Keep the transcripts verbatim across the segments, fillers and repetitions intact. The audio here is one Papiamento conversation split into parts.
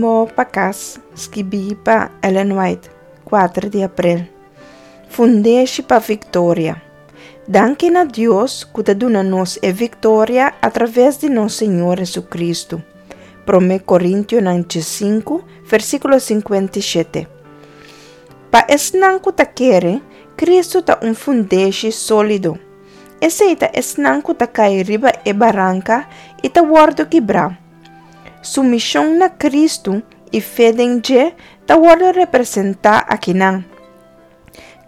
Rumbo pa Kas, skibí pa Ellen White, kuater di aprel. Fundeshi pa Viktoria. Danki na Dios ku ta duna nos e viktoria a traves di nos Señor Hesukristu. Promé Korintionan sinku, versíkulo sinkuenta i shete. Pa esnan ku ta kere, Kristu ta un fundeshi sólido. Esei ta esnan ku ta kai riba e baranka i ta wòrdu kibrá. Sumishon na Kristu i fe den dje ta wòrdu representá akinan.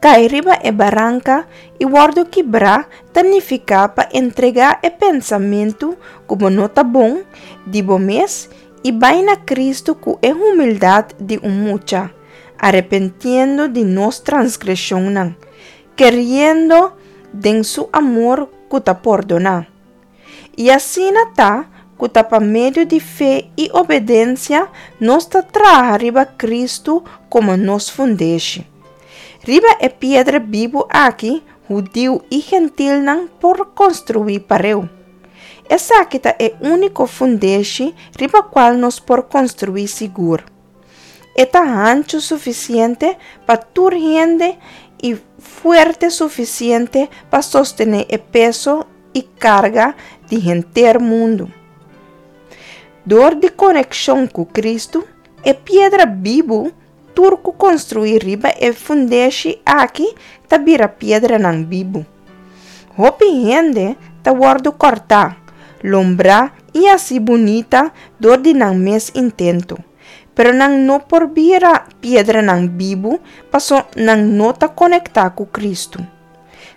Kai riba e baranka i wòrdu kibrá ta nifiká pa entregá e pensamentu ku bo no ta bon di bo mes i bai na Kristu ku e humildat di un mucha, arepentiendo di nos transgreshonnan, keriendo den su amor ku ta pordoná. I asina ta ku ta pa medio di fe i obedensia nos ta traha riba Kristu komo nos fundeshi. Riba e piedra bibu aki hudiu i gentilnan por konstruí pareu. Esaki ta e úniko fundeshi riba kual nos por konstruí sigur. E ta hanchu sufisiente pa tur hende i fuerte sufisiente pa sostené e peso i karga di henter mundu. Dor di konekshon ku Kristu, e piedra bibu, tur ku konstruí riba e fundeshi aki ta bira piedranan bibu. Hopi hende ta wòrdu kòrtá, lombrá i hasí bunita dor di nan mes intento, pero nan no por bira piedranan bibu paso nan no ta konektá ku Kristu.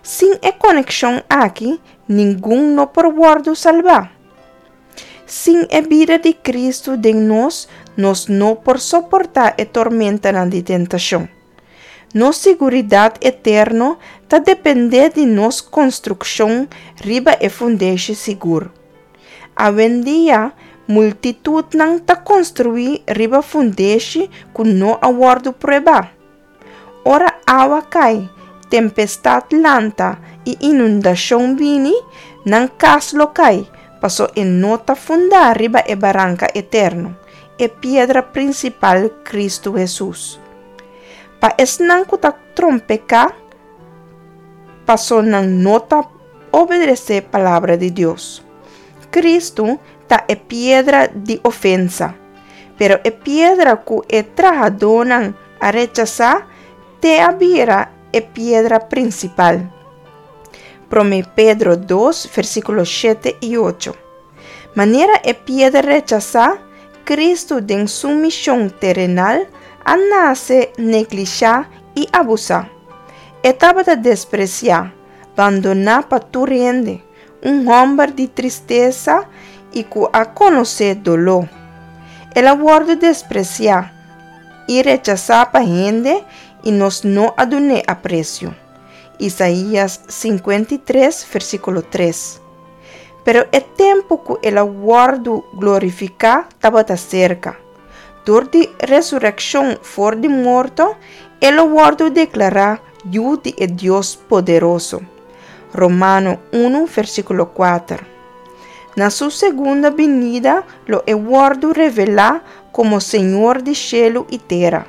Sin e konekshon aki, ningun no por wòrdu salbá. Sin e bida di Kristu den nos, nos no por soportá e tormentanan di tentashon. Nos siguridat eterno ta dependé di nos konstrukshon riba e fundeshi sigur. Awendia, multitutnan ta konstruí riba fundeshi ku no a wòrdu pruebá. Ora awa kai, tempestat lanta i inundashon bini, nan kas lo kai, paso e no ta fundá riba e baranka eterno, e piedra prinsipal Kristu Hesus. Pa esnan ku ta trompeká, paso nan no ta obedesé palabra di Dios. Kristu ta e piedra di ofensa, pero e piedra ku e trahadónan a rechasá, t'e a bira e piedra prinsipal. Promé Pedro dos, versíkulo shete i ocho. Manera e piedra rechasá, Kristu den su mishon terenal a nase neglishá i abusá. E tabata despresiá, bandoná pa tur hende, un hòmber di tristesa i ku a konosé doló. El a wòrdu despresiá i rechasá pa hende i nos no a dun'é apresio. Isaías sinkuenta i tres, versíkulo tres. Pero e tempu ku el a wòrdu glorifiká tabata serka. Dor di resurekshon for di morto, el a wòrdu deklará Yu di e Dios poderoso. Romano unu, versíkulo kuater. Na su segunda binida lo e wòrdu revelá komo Señor di shelu i tera.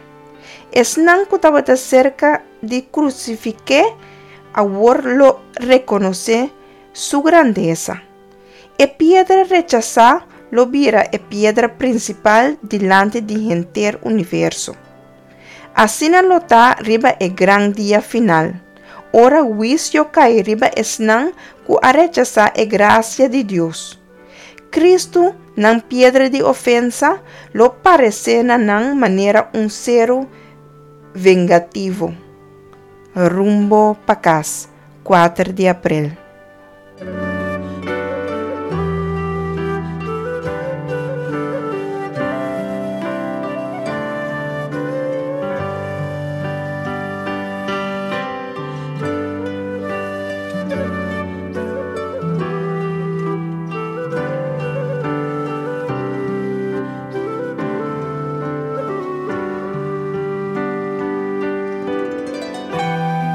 Esnan ku tabata serka di krusifik'é awor lo rekonosé su grandesa. E piedra rechasá lo bira e piedra prinsipal dilanti di henter universo. Asina lo ta riba e gran dia final, ora huisio kai riba esnan ku a rechasá e grasia di Dios. Kristu, nan piedra di ofensa, lo paresé na nan manera un seru vengativo. Rumbo pa Kas, kuater di aprel.